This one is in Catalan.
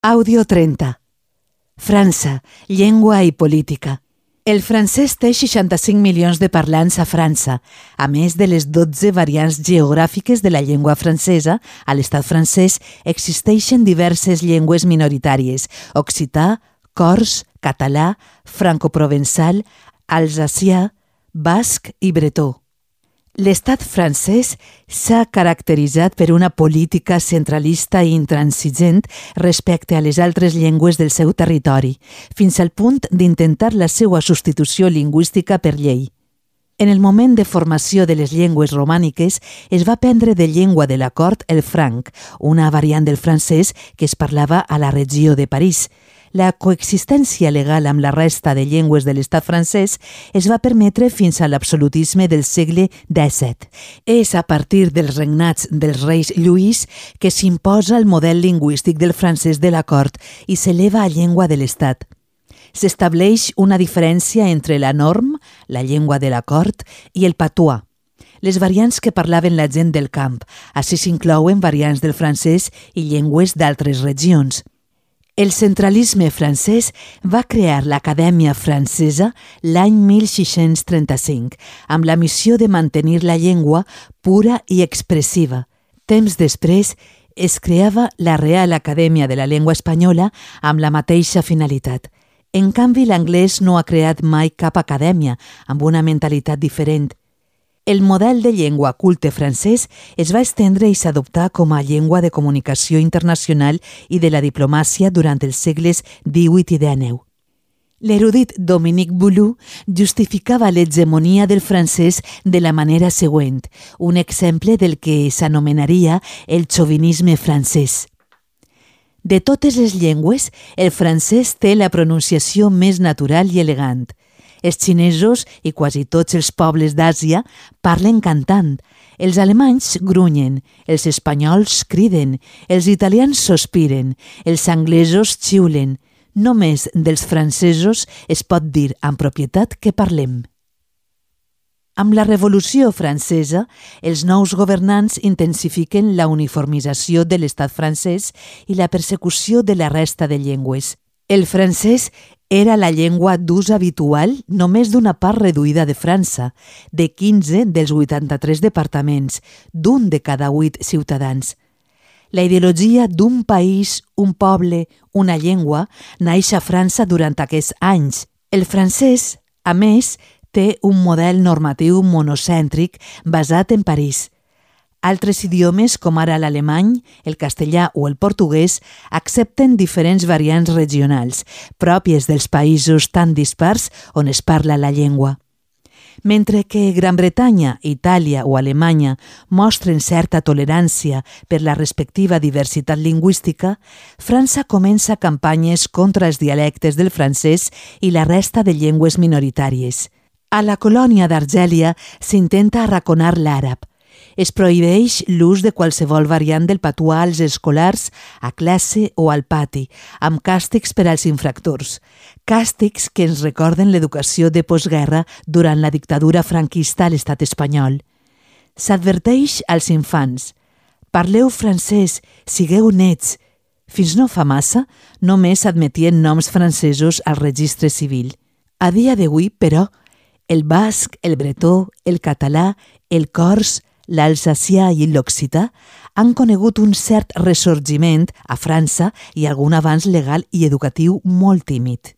Àudio 30. França, llengua i política. El francès té 65 milions de parlants a França, a més de les 12 variants geogràfiques de la llengua francesa. A l'estat francès existeixen diverses llengües minoritàries: occità, cors, català, francoprovençal, alsacià, basc i bretó. L'estat francès s'ha caracteritzat per una política centralista i intransigent respecte a les altres llengües del seu territori, fins al punt d'intentar la seva substitució lingüística per llei. En el moment de formació de les llengües romàniques es va prendre de llengua de la cort el franc, una variant del francès que es parlava a la regió de París. La coexistència legal amb la resta de llengües de l'estat francès es va permetre fins a l'absolutisme del segle XVII. És a partir dels regnats dels reis Lluís que s'imposa el model lingüístic del francès de la cort i s'eleva a llengua de l'estat. S'estableix una diferència entre la norm, la llengua de la cort, i el patois, les variants que parlaven la gent del camp. Així s'inclouen variants del francès i llengües d'altres regions. El centralisme francès va crear l'Acadèmia Francesa l'any 1635, amb la missió de mantenir la llengua pura i expressiva. Temps després es creava la Real Acadèmia de la Llengua Espanyola amb la mateixa finalitat. En canvi, l'anglès no ha creat mai cap acadèmia, amb una mentalitat diferent. El model de llengua culte francès es va estendre i s'adoptà com a llengua de comunicació internacional i de la diplomàcia durant els segles XVIII i XIX. L'erudit Dominique Boulou justificava l'hegemonia del francès de la manera següent, un exemple del que s'anomenaria el xovinisme francès. De totes les llengües, el francès té la pronunciació més natural i elegant. Els xinesos i quasi tots els pobles d'Àsia parlen cantant. Els alemanys grunyen, els espanyols criden, els italians sospiren, els anglesos xiulen. Només dels francesos es pot dir amb propietat que parlem. Amb la Revolució Francesa, els nous governants intensifiquen la uniformització de l'estat francès i la persecució de la resta de llengües. El francès era la llengua d'ús habitual només d'una part reduïda de França, de 15 dels 83 departaments, d'un de cada 8 ciutadans. La ideologia d'un país, un poble, una llengua, naix a França durant aquests anys. El francès, a més, té un model normatiu monocèntric basat en París. Altres idiomes, com ara l'alemany, el castellà o el portuguès, accepten diferents variants regionals, pròpies dels països tan dispars on es parla la llengua. Mentre que Gran Bretanya, Itàlia o Alemanya mostren certa tolerància per la respectiva diversitat lingüística, França comença campanyes contra els dialectes del francès i la resta de llengües minoritàries. A la colònia d'Argèlia s'intenta arraconar l'àrab. Es prohibeix l'ús de qualsevol variant del patois als escolars, a classe o al pati, amb càstigs per als infractors. Càstigs que ens recorden l'educació de postguerra durant la dictadura franquista a l'estat espanyol. S'adverteix als infants: parleu francès, sigueu nets. Fins no fa massa, només s'admetien noms francesos al registre civil. A dia d'avui, però, el basc, el bretó, el català, el cors, l'alsacià i l'occità han conegut un cert ressorgiment a França i algun avanç legal i educatiu molt tímid.